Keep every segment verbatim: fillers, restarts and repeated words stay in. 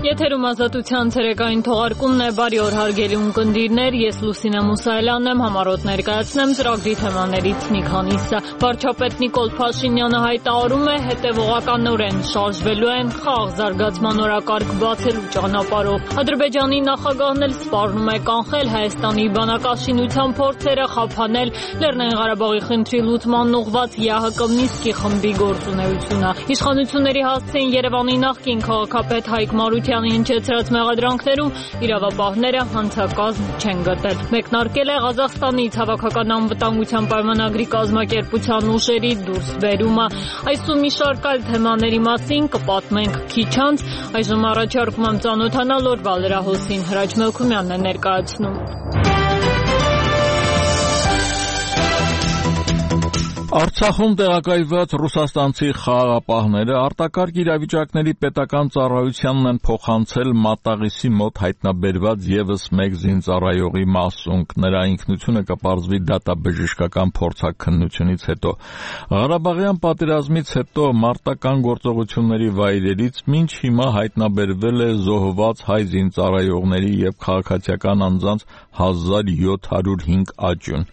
Եթերում ազատության ցերեկային թողարկումն է, բարի օր հարգելի ունկնդիրներ, ես Լուսինե Մուսայելյանն եմ, համառոտ ներկայացնեմ ծրագրի թեմաներից մի քանիսը։ Վարչապետ Նիկոլ Փաշինյանը հայտարարում է, հետևողականորեն շարժվելու են խաղաղ զարգացման օրակարգ բացելու ճանապարհով։ Ադրբեջանի նախագահն էլ սպառնում է կանխել Հայաստանի բանակաշինության փորձերը խափանել Լեռնային Ղարաբաղի խնդրի լուծման ուղղված ԵԱՀԿ Մինսկի խմբի գործունեությունը։ Իշխանությունների հասցեին Երևանի նախկին քաղաքապետ Հայկ Մարությանի հնչեցրած մեղադրանքներում իրավապահները հանցակազմ չեն գտել։ Մեկնարկել է Ղազախստանի ցավաքական անվտանգության պայմանագրի կազմակերպության ուժերի դուրսբերումը։ Այսօր մի շարք այլ թեմաների մասին կպատմենք քիչ անց։ Այժմ առաջարկում եմ ծանոթանալ օրվա լրահոսին։ Հրաչ Մելքումյանն է ներկայացնում։ Արցախում տեղակայված ռուսաստանցի խաղաղապահները արտակարգ իրավիճակների պետական ծառայությանն են փոխանցել Մատաղիսի մոտ հայտնաբերված ևս մեկ զինծառայողի մասունք։ Նրա ինքնությունը կպարզվի դատաբժշկական փորձաքննությունից հետո։ Ղարաբաղյան պատերազմից հետո մարտական գործողությունների վայրերից մինչ հիմա հայտնաբերվել է զոհված հայ զինծառայողների եւ քաղաքացիական անձանց հազար յոթ հարյուր հինգ աճյուն։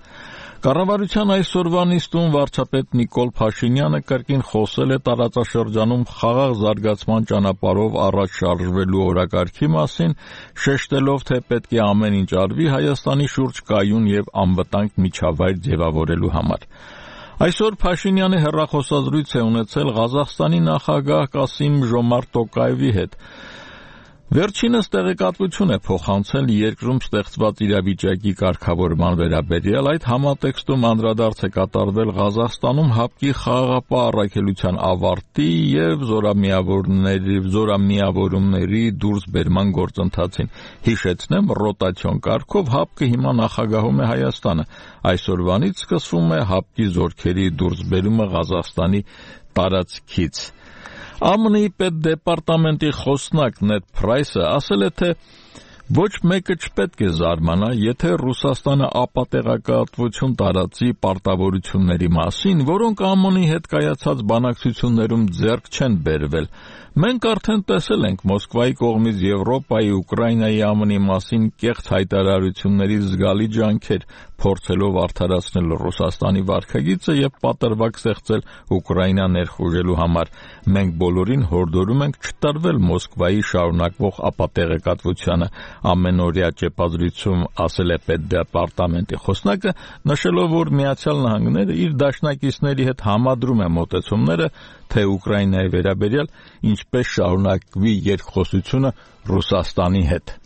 Կառավարության այսօրվա նիստում վարչապետ Նիկոլ Փաշինյանը կրկին խոսել է տարածաշրջանում խաղաղ զարգացման ճանապարհով առաջ շարժվելու օրակարգի մասին, շեշտելով, թե պետք է ամեն ինչ արվի Հայաստանի շուրջ կայուն եւ անվտանգ միջավայր ձևավորելու համար։ Այսօր Փաշինյանը հեռախոսազրույց է ունեցել Ղազախստանի նախագահ Կասիմ Ժոմարտ Տոկաևի հետ։ Վերջինս տեղեկատվություն է փոխանցել երկրում ստեղծված իրավիճակի կարգավորման վերաբերյալ, այդ համատեքստում անդրադարձ է կատարվել Ղազախստանում ՀԱՊԿ-ի խաղաղապահ առաքելության ավարտի եւ զորամիավորների զորամիավորումների դուրսբերման գործընթացին։ Հիշեցնեմ, ռոտացիոն կարգով ՀԱՊԿ-ը հիմա նախագահում է Հայաստանը։ Այսօրվանից սկսվում է ՀԱՊԿ-ի զորքերի դուրսբերումը Ղազախստանի տարածքից։ ԱՄՆ-ի պետդեպարտամենտի խոսնակ Նեդ Փրայսը ասել է, թե ոչ մեկը չպետք է զարմանա, եթե Ռուսաստանը ապատեղեկատվություն տարածի պարտավորությունների մասին, որոնք ԱՄՆ-ի հետ կայացած բանակցություններում ձեռք չեն բերվել։ Մենք արդեն տեսել ենք Մոսկվայի կողմից Եվրոպայի, Ուկրաինայի, ԱՄՆ-ի մասին կեղծ հայտարարությունների զգալի ջանքեր, փորձելով արդարացնել Ռուսաստանի վարքագիծը եւ պատրվակ ստեղծել Ուկրաինա ներխուժելու համար։ Մենք բոլորին հորդորում ենք չտրվել Մոսկվայի շարունակվող ապատեղեկատվությանը, ամենօրյա ճեպազրույցում ասել է պետդեպարտամենտի խոսնակը, նշելով, որ Միացյալ Նահանգները իր դաշնակիցների հետ համադրում է մոտեցումները, թե Ուկրաինայի վերաբերյալ ինչպես շարունակվի երկխոսությունը Ռուսաստանի հետ։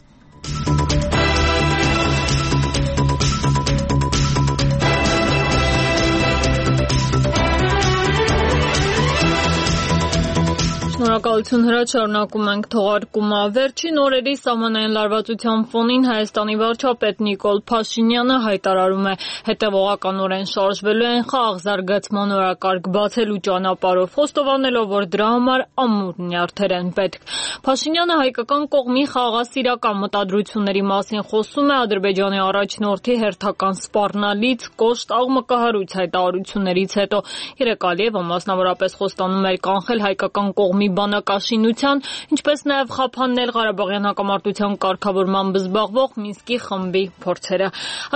Շնորհակալություն Հրաչ, շարունակում ենք թողարկումը։ Վերջին օրերի սահմանային լարվածության ֆոնին Հայաստանի վարչապետ Նիկոլ Փաշինյանը հայտարարում է, հետևողականորեն շարժվելու են խաղաղ զարգացման օրակարգ բացելու ճանապարհով, խոստովանելով, որ դրա համար ամուր նյարդեր են պետք։ Փաշինյանը հայկական կողմի խաղաղասիրական մտադրությունների մասին խոսում է Ադրբեջանի առաջնորդի հերթական սպառնալից կոշտ աղմկահարույց հայտարարություններից հետո։ Երեկ Ալիևը մասնավորապես խոստանում էր կանխել հայկական կողմի բանակաշինության, ինչպես նաև խափանել Ղարաբաղյան հակամարտության կարգավորմամբ զբաղվող Մինսկի խմբի փորձերը։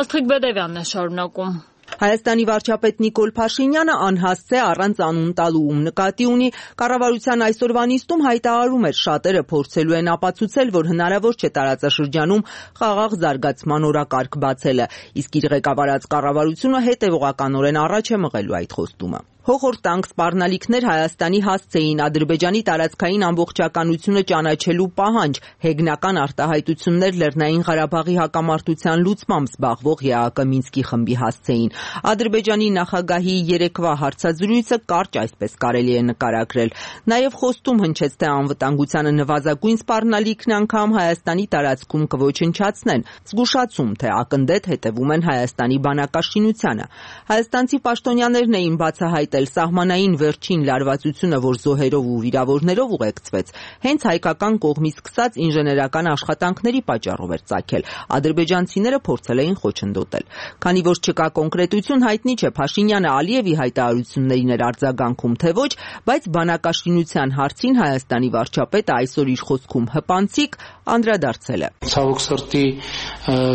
Աստղիկ Բեդևյանն է շարունակում։ Հայաստանի վարչապետ Նիկոլ Փաշինյանը անհասցե առանց անուն տալու ում նկատի ունի կառավարության այսօրվա նիստում հայտարարում էր, շատերը փորձելու են ապացուցել, որ հնարավոր չէ տարածաշրջանում խաղաղ զարգացման օրակարգ բացելը, իսկ իր ղեկավարած կառավարությունը հետևողականորեն առաջ է մղելու այդ խոստումը։ Հոխորտանք սպառնալիքներ Հայաստանի հասցեին Ադրբեջանի տարածքային ամբողջականությունը ճանաչելու պահանջ, հեգնական արտահայտություններ Լեռնային Ղարաբաղի հակամարտության լուծմամբ զբաղվող ԵԱՀԿ Մինսկի խմբի հասցեին։ Ադրբեջանի նախագահի երեկվա հարցազրույցը կարճ այսպես կարելի է նկարագրել։ Նաև խոստում հնչեց, թե անվտանգությանը նվազագույն սպառնալիքն անգամ Հայաստանի տարածքում կոչնչացնեն, զգուշացում, թե ակնդետ հետևում են Հայաստանի բանակաշինությանը։ Հայաստանցի պաշտոնյաներն էին բացահայտ հետ էլ սահմանային վերջին լարվածությունը, որ զոհերով ու վիրավորներով ուղեկցվեց, հենց հայկական կողմից սկսած ինժեներական աշխատանքների պատճառով էր ծագել։ Ադրբեջանցիները փորձել էին խոչընդոտել։ Քանի որ չկա կոնկրետություն, հայտնի չէ Փաշինյանը Ալիևի հայտարարություններին էր արձագանքում, թե ոչ, բայց բանակաշինության հարցին Հայաստանի վարչապետը այսօր իր խոսքում հպանցիկ անդրադարձել է։ Ցավոք սրտի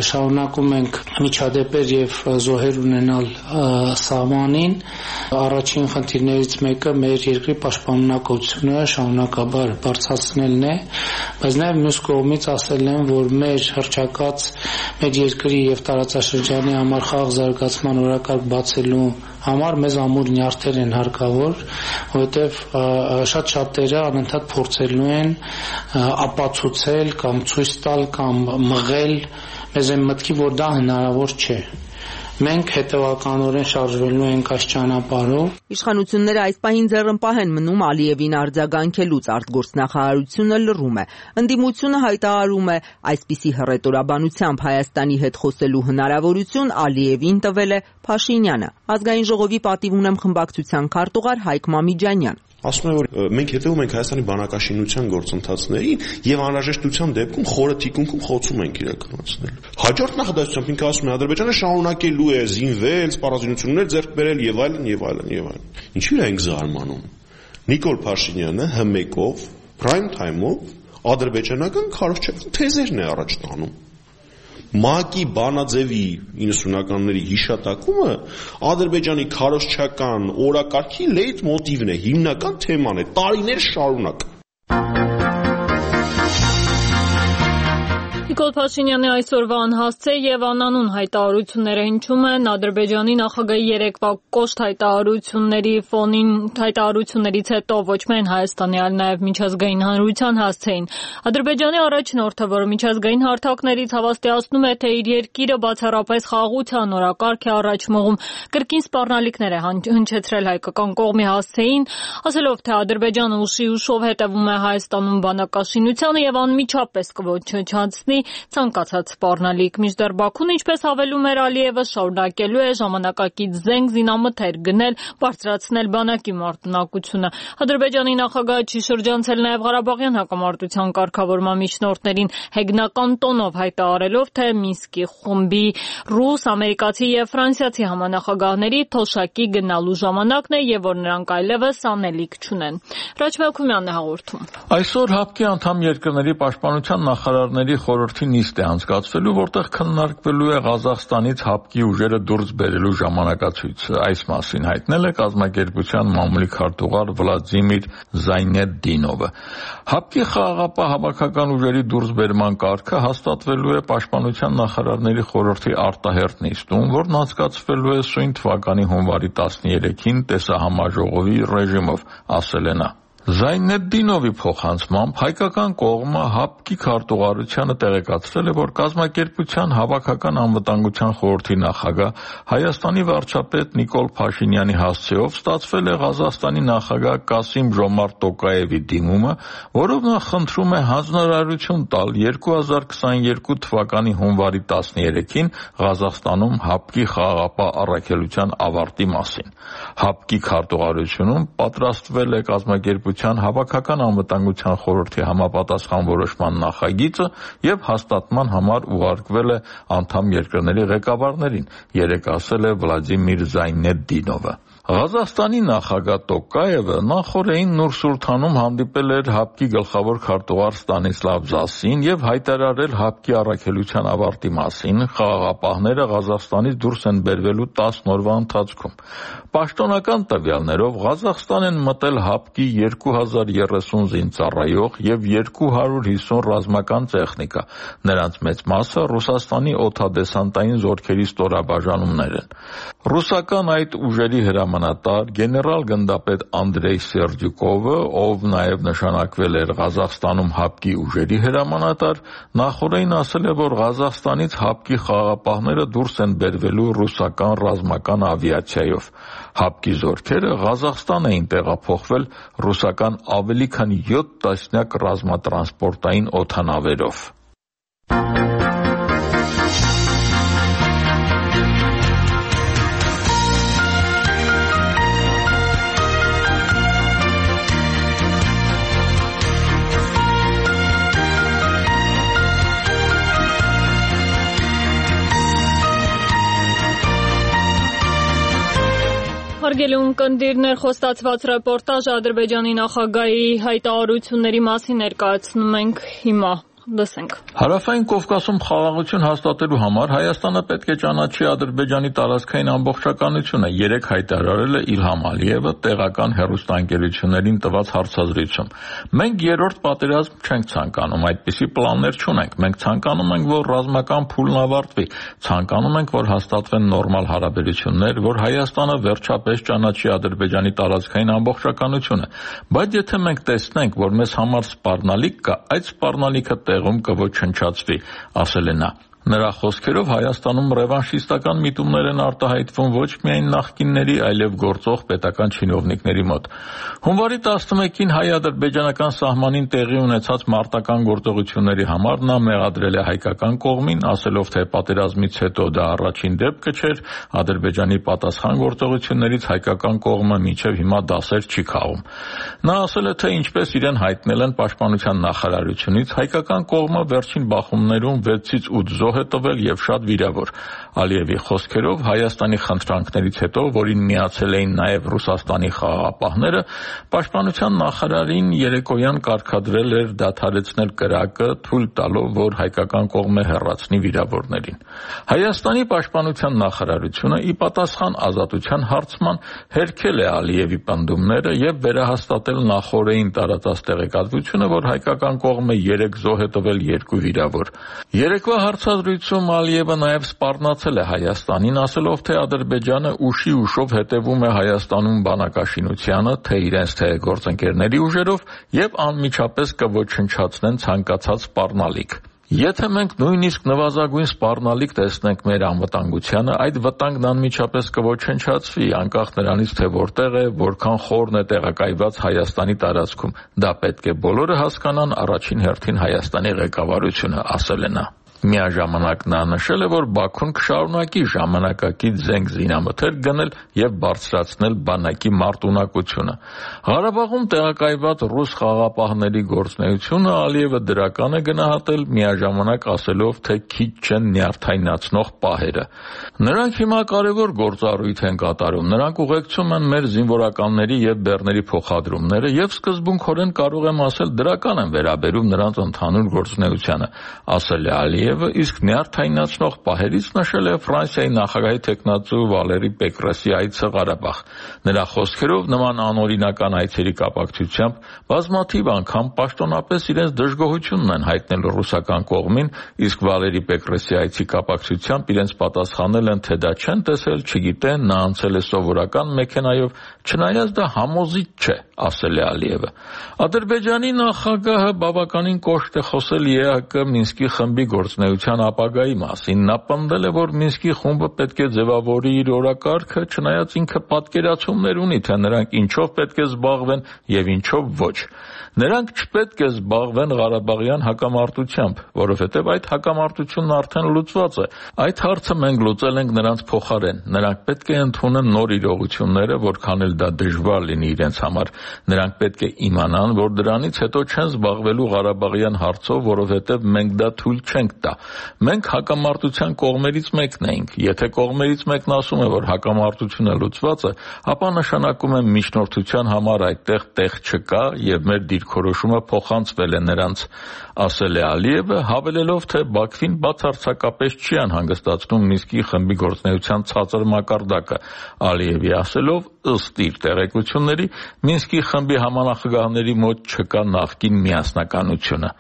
շարունակում ենք միջադեպեր եւ զոհեր ունենալ սահմանին։ Առաջին խնդիրներից մեկը մեր երկրի պաշտպանունակությունը շարունակաբար բարձրացնելն է, բայց նաեւ մյուս կողմից ասել եմ, որ մեր հռչակած մեր երկրի եւ տարածաշրջանի համար խաղ զարգացման օրակարգ բացելու համար մեզ ամուր նյարդեր են հարկավոր, որովհետև շատ շատերը անընդհատ փորձելու են ապացուցել կամ ցույց տալ կամ մղել մեզ այն մտքի, որ դա հնարավոր չէ։ Մենք հետևականորեն շարժվելու ենք այս ճանապարհով։ Իշխանությունները այս պահին ձեռնպահ են մնում Ալիևին արձագանքելուց, արտգործնախարարությունը լռում է։ Ընդդիմությունը հայտարարում է, այսպիսի հռետորաբանությամբ Հայաստանի հետ խոսելու հնարավորություն Ալիևին տվել է Փաշինյանը։ Ազգային ժողովի պատիվ ունեմ խմբակցության քարտուղար Հայկ Մամիջանյան։ Ասում եմ, որ մենք հետևում ենք Հայաստանի բանակաշինության գործընթացներին եւ անհրաժեշտության դեպքում խորը թիկունքում խոցում ենք իրականացնել։ Հաջորդ նախադասությամբ ինքը ասում է Ադրբեջանը շարունակելու է զինվել, սպառազինություններ ձեռք բերել եւ այլն եւ այլն եւ այլն։ Ինչու՞ ենք զարմանում։ Նիկոլ Փաշինյանը հմեկով, prime time-ով ադրբեջանական քարոզչական թեզերն է առաջ տանում։ ՄԱԿ-ի բանաձևի իննսունականների հիշատակումը Ադրբեջանի քարոզչական օրակարգի լեյթ մոտիվն է, հիմնական թեման է, տարիներ շարունակ։ Նիկոլ Փաշինյանի այսօրվա անհասցե եւ անանուն հայտարարությունները հնչում են Ադրբեջանի նախագահի երեկվա կոշտ հայտարարությունների ֆոնին, հայտարարություններից հետո ոչ միայն Հայաստանի, այլ նաեւ միջազգային հանրության հասցեին։ Ադրբեջանի առաջնորդը, որը միջազգային հարթակներից հավաստիացնում է, թե իր երկիրը բացառապես խաղաղության օրակարգ է առաջ մղում, կրկին սպառնալիքներ է հնչեցրել հայկական կողմի հասցեին, ասելով, թե Ադրբեջանը ուշի ուշով հետևում է Հայաստանում բանակաշինությանը եւ անմիջապես կոչնչացնի ցանկացած սպառնալիք։ Մինչդեռ Բաքուն, ինչպես հավելում էր Ալիևը, շարունակելու է ժամանակակից զենք զինամթեր գնել, բարձրացնել բանակի մարտունակությունը։ Ադրբեջանի նախագահը չի շրջանցել նաև Ղարաբաղյան հակամարտության կարգավորման միջնորդներին հեգնական տոնով հայտարարելով, թե Մինսկի խումբի ռուս, ամերիկացի եւ ֆրանսիացի համանախագահների թոշակի գնալու ժամանակն է եւ որ նրանք այլևս անելիք չունեն։ Ռաչմելքումյանն է հաղորդում։ Այսօր ՀԱՊԿ-ի անդամ երկրների պաշտպանության նախարարների խորհրդի նիստ է անցկացվելու, որտեղ քննարկվելու է Ղազախստանից ՀԱՊԿ-ի ուժերը դուրս բերելու ժամանակացույցը։ Այս մասին հայտնել է կազմակերպության մամուլի քարտուղար Վլադիմիր Զայնեդդինովը։ ՀԱՊԿ-ի խաղաղապահ հավաքական ուժերի դուրսբերման կարգը հաստատվելու է պաշտպանության նախարարների խորհրդի արտահերթ նիստում, որն անցկացվելու է սույն թվականի հունվարի տասներեքին տեսահամաժողովի ռեժիմով, ասել է նա։ Զայնեդդինովի փոխանցմամբ հայկական կողմը ՀԱՊԿ-ի քարտուղարությանը տեղեկացրել է, որ կազմակերպության հավաքական անվտանգության խորհրդի նախագահ Հայաստանի վարչապետ Նիկոլ Փաշինյանի հասցեով ստացվել է Ղազախստանի նախագահ Կասիմ-Ժոմարտ Տոկաևի դիմումը, որով նա խնդրում է հանձնարարություն տալ երկու հազար քսաներկու թվականի հունվարի տասներեքին Ղազախստանում ՀԱՊԿ-ի խաղաղապահ առաքելության ավարտի մասին։ ՀԱՊԿ-ի քարտուղարությունում պատրաստվել է կազմակերպության հավաքական անվտանգության խորհրդի համապատասխան որոշման նախագիծը եւ հաստատման համար ուղարկվել է անդամ երկրների ղեկավարներին, երեկ ասել է Վլադիմիր Զայնեդդինովը։ Ղազախստանի նախագահ Տոկաևը նախորդին Նուր-Սուլթանում հանդիպել էր ՀԱՊԿ-ի գլխավոր քարտուղար Ստանիսլավ Զասին եւ հայտարարել ՀԱՊԿ-ի առաքելության ավարտի մասին։ Խաղաղապահները Ղազախստանից դուրս են բերվելու տասն օրվա ընթացքում։ Պաշտոնական տվյալներով Ղազախստան են մտել ՀԱՊԿ-ի երկու հազար երեսուն զինծառայող եւ երկու հարյուր հիսուն ռազմական տեխնիկա։ Նրանց մեծ մասը Ռուսաստանի օդադեսանտային զորքերի ստորաբաժանումներ են։ Ռուսական այդ ուժերի հրամանատար գեներալ գնդապետ Անդրեյ Սերջուկովը, ով նաև նշանակվել էր Ղազախստանում ՀԱՊԿ-ի ուժերի հրամանատար, նախորդին ասել է, որ Ղազախստանից ՀԱՊԿ-ի խաղաղապահները դուրս են բերվելու ռուսական ռազմական ավիացիայով։ ՀԱՊԿ-ի զորքերը Ղազախստան էին տեղափոխվել ռուսական ավելի քան յոթ տասնյակ ռազմատրանսպորտային օդանավերով։ հարգելի ունկնդիրներ, խոստացված ռեպորտաժ Ադրբեջանի նախագահի հայտարարությունների մասին ներկայացնում ենք հիմա։ Լսենք։ Հարավային Կովկասում խաղաղություն հաստատելու համար Հայաստանը պետք է ճանաչի Ադրբեջանի տարածքային ամբողջականությունը, երեք հայտարարել է Իլհամ Ալիևը տեղական հեռուստաընկերություններին տված հարցազրույցում։ Մենք երրորդ պատերազմ չենք ցանկանում, այդպիսի պլաններ չունենք։ Մենք ցանկանում ենք, որ ռազմական փուլն ավարտվի, ցանկանում ենք, որ հաստատվեն նորմալ հարաբերություններ, որ Հայաստանը վերջապես ճանաչի Ադրբեջանի տարածքային ամբողջականությունը։ Բայց եթե մենք տեսնենք, որ մեզ համար սպառնալիք կա, այդ սպառնալիքը տեղում կոչնչացվի, ասել է նա։ Նրա խոսքերով Հայաստանում ռևանշիստական միտումներ են արտահայտվում ոչ միայն նախկինների, այլև գործող պետական չինովնիկների մոտ։ Հունվարի տասնմեկին հայ-ադրբեջանական սահմանին տեղի ունեցած մարտական գործողությունների համար նա մեղադրել է հայկական կողմին, ասելով, թե պատերազմից հետո դա առաջին դեպքը չէր, Ադրբեջանի պատասխան գործողություններից հայկական կողմը մինչև հիմա դասեր չի քաղում։ Նա ասել է, թե ինչպես իրեն հայտնել են պաշտպանության նախարարությունից, հայկական կողմը վերջին բախումներում վեցից ութ զոհ է տվել եւ շատ վիրավոր։ Ալիևի խոսքերով Հայաստանի խնդրանքներից հետո, որին միացել էին նաեւ Ռուսաստանի խաղաղապահները, պաշտպանության նախարարին երեկոյան կարգադրել էր դադարեցնել կրակը, թույլ տալով, որ հայկական կողմը հեռացնի վիրավորներին։ Հայաստանի պաշտպանության նախարարությունը ի պատասխան ազատության հարցման հերքել է Ալիևի պնդումները եւ վերահաստատել նախորդին տարածած տեղեկատվությունը, որ հայկական կողմը երեք զոհ է տվել, երկու վիրավոր։ Երեկվա հարցազրույցում Ալիևը նաեւ սպառնացել է Հայաստանին, ասելով, թե Ադրբեջանը ուշի ուշով հետևում է Հայաստանում բանակաշինությանը, թե իրենց թե գործընկերների ուժերով եւ անմիջապես կոչնչացնեն ցանկացած սպառնալիք։ Եթե մենք նույնիսկ նվազագույն սպառնալիք տեսնենք մեր անվտանգությանը, այդ վտանգն անմիջապես կոչնչացվի, անկախ նրանից, թե որտեղ է, որքան խորն է տեղակայված Հայաստանի տարածքում։ Դա պետք է բոլորը հասկանան, առաջին հերթին Հայաստանի ղեկավարությունը, ասել է նա։ Միաժամանակ նա նշել է, որ Բաքուն կշարունակի ժամանակակից զենք զինամթերք գնել եւ բարձրացնել բանակի մարտունակությունը։ Ղարաբաղում տեղակայված ռուս խաղաղապահների գործունեությունը Ալիևը դրական է գնահատել, միաժամանակ ասելով, թե քիչ չեն նյարդայնացնող պահերը։ Նրանք հիմա կարևոր գործառույթ են կատարում, նրանք ուղեկցում են մեր զինվորականների եւ բեռների փոխադրումները եւ սկզբունքորեն կարող եմ ասել դրական են վերաբերում նրանց ընդհանուր գործունեությանը, ասել է Ալիևը, իսկ նյարդայնացնող պահերից նշել է Ֆրանսիայի նախագահի տեխնացու Վալերի Պեկրեսի այցը Ղարաբաղ։ Նրա խոսքերով նման անօրինական այցերի կապակցությամբ բազմաթիվ անգամ պաշտոնապես իրենց դժգոհությունն են հայտնել ռուսական կողմին, իսկ Վալերի Պեկրեսի այցի կապակցությամբ իրենց պատասխանել են, թե դա չեն տեսել, չգիտեն, նա անցել է սովորական մեքենայով, չնայած դա համոզիչ չէ, ասել է Ալիևը։ Ադրբեջանի նախագահը բավականին կոշտ է խոսել Է Հ Կ Մինսկի խմբի գործունեության ապագայի մասին։ Նա պնդել է, որ Մինսկի խումբը պետք է ձևավորի իր օրակարգը, չնայած ինքը պատկերացումներ ունի, թե նրանք ինչով պետք է զբաղվեն եւ ինչով ոչ։ Նրանք չպետք է զբաղվեն Ղարաբաղյան հակամարտությամբ, որովհետև այդ հակամարտությունն արդեն լուծված է։ Այդ հարցը մենք լուծել ենք նրանց փոխարեն։ Նրանք պետք է ընդունեն նոր իրողությունները, որքան էլ դա դժվար լինի իրենց համար։ Նրանք պետք է իմանան, որ դրանից հետո չեն զբաղվելու Ղարաբաղյան հարցով, որովհետև մենք դա թույլ չենք տա։ Մենք հակամարտության կողմերից մեկն ենք։ Եթե կողմերից մեկն ասում է, որ հակամարտությունը լուծված է, ապա նշանակում է միջնորդության համար այդտեղ տեղ չկա եւ մեր դիրքորոշումը փոխանցվել է նրանց, ասել է Ալիևը, հավելելով, թե Բաքվին բացարձակապես չի անհանգստացնում Մինսկի խմբի գործունեության ցածր մակարդակը։ Ալիևի ասելով, ըստ իր տեղեկությունների, Մինսկի խմբի համանախագահների մոտ չկա նախկին միասնականությունը։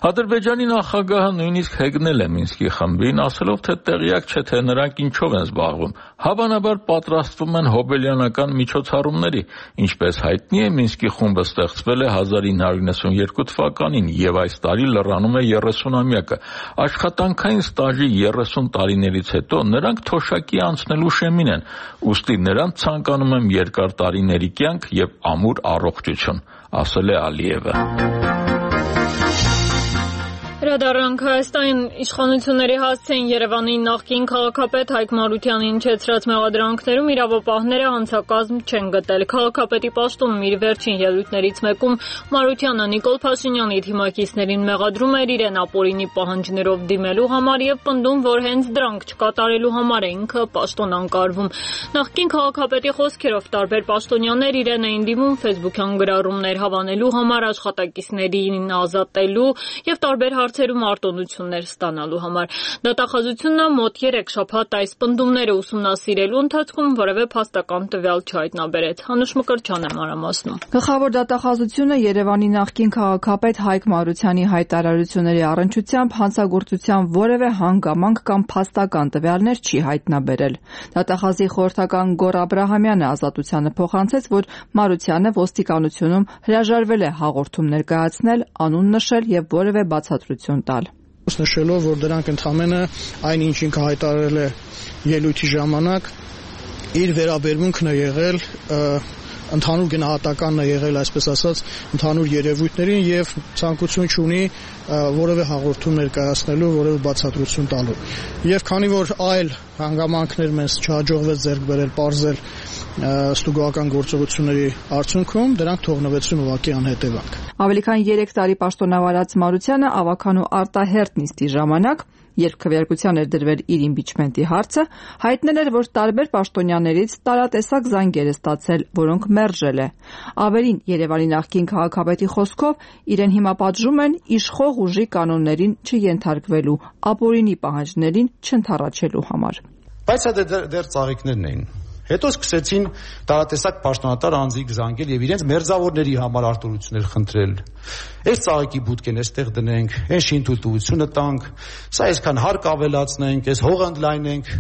Ադրբեջանի նախագահը նույնիսկ հեգնել է Մինսկի խմբին, ասելով, թե տեղյակ չէ, թե նրանք ինչով են զբաղվում։ Հավանաբար պատրաստվում են հոբելյանական միջոցառումների։ Ինչպես հայտնի է, Մինսկի խումբը ստեղծվել է հազար ինը հարյուր նվաթ թվականին եւ այս տարի լրանում է երեսունամյակը։ Աշխատանքային ստաժի երեսուն տարիներից հետո նրանք թոշակի անցնելու շեմին են, ուստի նրանց ցանկանում եմ երկար տարիների կյանք եւ ամուր առողջություն, ասել է Ալիևը։ Անդրադառնանք Հայաստան իշխանությունների հասցեին Երևանի նախկին քաղաքապետ Հայկ Մարությանին իջեցրած մեղադրանքներում իրավապահները հանցակազմ չեն գտել։ Քաղաքապետի պաշտոնում իր վերջին ելույթներից մեկում Մարությանը Նիկոլ Փաշինյանի թիմակիցներին մեղադրում էր իրեն ապօրինի պահանջներով դիմելու համար եւ պնդում, որ հենց դրանք չկատարելու համար է ինքը պաշտոն անկարվում։ Նախկին քաղաքապետի խոսքերով տարբեր պաշտոնյաներ իրեն էին դիմում Facebook-յան գրառումներ հավանելու համար, աշխատակիցներին ազատելու եւ տարբեր հարցերում արտոնություններ ստանալու համար։ Դատախազությունը մոտ երեք շաբաթ այս պնդումները ուսումնասիրելու ընթացքում որևէ փաստական տվյալ չհայտնաբերեց։ Հանուշ Մկրտչյան է մանրամասնում։ Գլխավոր դատախազությունը Երևանի նախկին քաղաքապետ Հայկ Մարությանի հայտարարությունների առնչությամբ հանցագործության որևէ հանգամանք կամ փաստական տվյալներ չի հայտնաբերել։ Դատախազի խորհրդական Գոռ Աբրահամյանը ազատությանը փոխանցեց, որ Մարությանը ոստիկանությունում հրաժարվել է հաղորդում ներկայացնել, անուն նշել եւ որևէ բացատրություն տալ։ Նշելով, որ դրանք ընդհանրապես այն ինչ ինքը հայտարարել է ելույթի ժամանակ, իր վերաբերմունքն է եղել ընդհանուր գնահատականն է եղել, այսպես ասած, ընդհանուր երևույթներին եւ ցանկություն չունի որևէ հաղորդում ներկայացնելու, որևէ բացատրություն տալու։ Եվ քանի որ այլ հանգամանքներ մեզ չհաջողվեց ձեռք բերել, պարզել ստուգողական գործողությունների արդյունքում, դրանք թողնվեցին ուղղակի անհետևանք։ Ավելի քան երեք տարի պաշտոնավարած Մարությանը ավականու արտահերտ նիստի ժամանակ, երբ քվեարկության էր դրվել իր իմպիչմենտի հարցը, հայտնել էր, որ տարբեր պաշտոնյաներից տարատեսակ զանգեր է ստացել, որոնք մերժել է։ Ավելին, Երևանի նախկին քաղաքապետի խոսքով իրեն հիմա պատժում են իշխող ուժի կանոններին չենթարկվելու, ապօրինի պահանջներին չընդառաջելու համար։ Բայց դա դեռ ծաղիկներն էին։ Հետո սկսեցին տարատեսակ պաշտոնատար անձիկ զանգել եւ իրենց մերձավորների համար արտոնություններ խնդրել։ Այս ծաղիկի բուտկեն էստեղ դնենք, այս շինթույլտվությունը տանք, սա այսքան հարկ ավելացնենք, այս հողը ընդլայնենք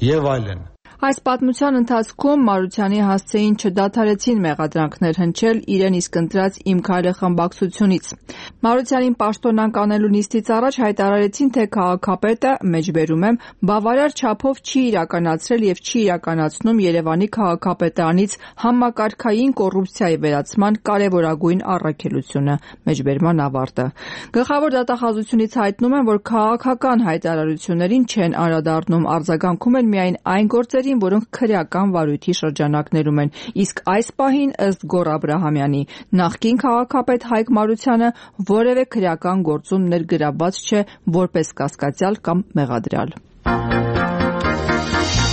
եւ այլն։ Այս պատմության ընթացքում Մարությանի հասցեին չդադարեցին մեղադրանքներ հնչել իրեն իսկ ընտրած «Իմ քայլը» խմբակցությունից։ Մարությանին պաշտոն անկանելու նիստից առաջ հայտարարեցին, թե քաղաքապետը, մեջբերում եմ, բավարար չափով չի իրականացրել եւ չի իրականացնում Երևանի քաղաքապետարանից համակարգային կոռուպցիայի վերացման կարեւորագույն առաքելությունը, մեջբերման ավարտը։ Գլխավոր դատախազությունից հայտնում են, որ քաղաքական հայտարարություններին չեն անդրադառնում, արձագանքում են միայն այն գործերի, որոնք քրեական վարույթի շրջանակներում են, իսկ այս պահին, ըստ Գոռ Աբրահամյանի, նախկին քաղաքապետ Հայկ Մարությանը որևէ քրեական գործում ներգրավված չէ որպես կասկածյալ կամ մեղադրյալ։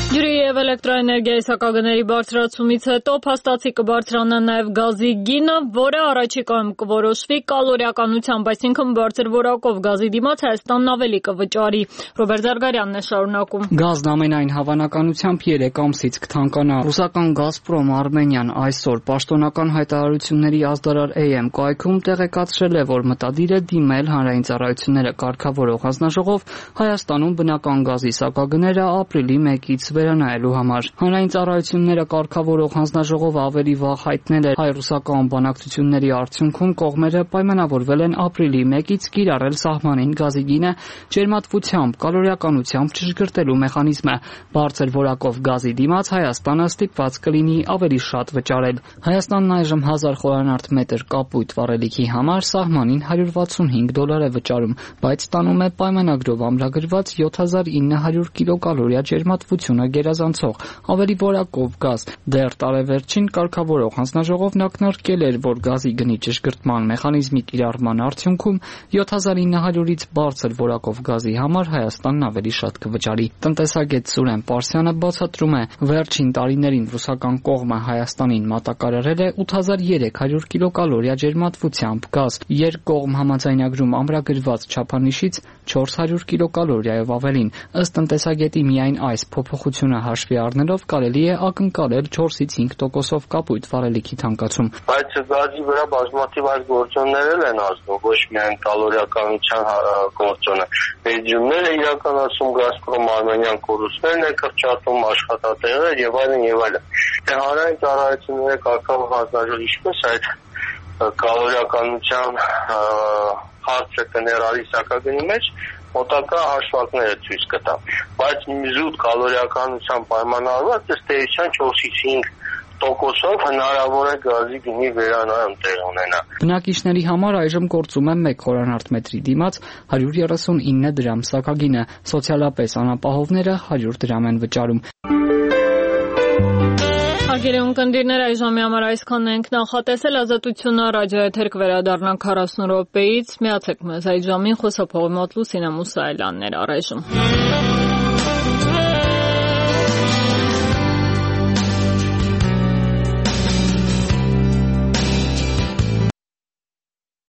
Ջրի եւ էլեկտրոէներգիայի սակագների բարձրացումից հետո փաստացի կբարձրանա նաեւ գազի գինը, որը առաջիկայում կորոշվի կալորիականությամբ, այսինքն բարձր որակով գազի դիմաց Հայաստանն ավելի կվճարի։ Ռոբերտ Զարգարյանն է շարունակում։ Գազն ամենայն հավանականությամբ երեք ամսից կթանկանա։ Ռուսական Գազպրոմ Արմենիան այսօր պաշտոնական հայտարարությունների ազդարար Էյ Էմ կայքում տեղեկացրել է, որ մտադիր է դիմել հանրային ծառայությունները կարգավորող հանձնաժողով Հայաստանում բնական գազի սակագները ապրիլի մեկից վերանայելու համար։ Հանրային ծառայությունները կարգավորող հանձնաժողովը ավելի վաղ հայտնել էր հայ-ռուսական բանակցությունների արդյունքում կողմերը պայմանավորվել են ապրիլի մեկից կիրառել սահմանին գազի գինը ջերմատվությամբ, կալորիականությամբ չշգրտելու մեխանիզմը։ Բարձր որակով գազի դիմաց Հայաստանը ստիպված կլինի ավելի շատ վճարել։ Հայաստանն այժմ հազար խորանարդ մետր կապույտ վառելիքի համար սահմանին հարյուր վաթսունհինգ դոլար է վճարում, բայց ստանում է պայմանագրով ամրագրված յոթ հազար ինը հարյուր կիլոկալորիա ջերմատվությունը գերազանցող ավելի որակով գազ։ Դեռ տարեվերջին կարգավորող հանձնաժողովն ակնարկել էր, որ գազի գնի ճշգրտման մեխանիզմի կիրառման արդյունքում յոթ հազար ինը հարյուրից բարձր որակով գազի համար Հայաստանն ավելի շատ կվճարի։ Տնտեսագետ Սուրեն Պարսյանը բացատրում է, վերջին տարիներին ռուսական կողմը Հայաստանին մատակարարել է ութ հազար երեք հարյուր կիլոկալորիա ջերմատվությամբ գազ, երկկողմ համաձայնագրում ամրագրված չափանիշից չորս հարյուր կիլոկալորիայով ավելին։ Ըստ տնտեսագետի միայն այս փոփոխությունը հաշվի առնելով կարելի է ակնկալել չորսից հինգ տոկոսով կապույտ վառելիքի թանկացում։ Բայց գազի վրա բազմաթիվ այլ գործոններ են ազդում, ոչ միայն կալորիականության գործոնը։ Բեջումները իրականացում Գազպրոմ Արմենիան կորուստներն է կրճատում, աշխատատեղեր եւ այլն եւ այլն։ Դե հանրային ծառայությունները կարգավորող հանձնաժողովը ինչպես այդ կալորիականության հարցը կներառի սակագնի մեջ մոտակա հաշվարկները ցույց կտա, բայց զուտ կալորիականության պայմանավորված ըստ էության չորսից հինգ տոկոսով հնարավոր է գազի գնի վերանայում տեղ ունենա։ Բնակիչների համար այժմ գործում է մեկ խորանարդ մետրի դիմաց հարյուր երեսունինը դրամ սակագինը, սոցիալապես անապահովները հարյուր դրամ են վճարում։ Հարգելի ունկնդիրներ, այժմի համար այսքանն ենք նախատեսել, Ազատությունը ռադիոեթեր կվերադառնա քառասուն րոպեից, միացեք մեզ այդ ժամին, խոսափողի մոտ Լուսինե Մուսայելյանն էր առայժմ։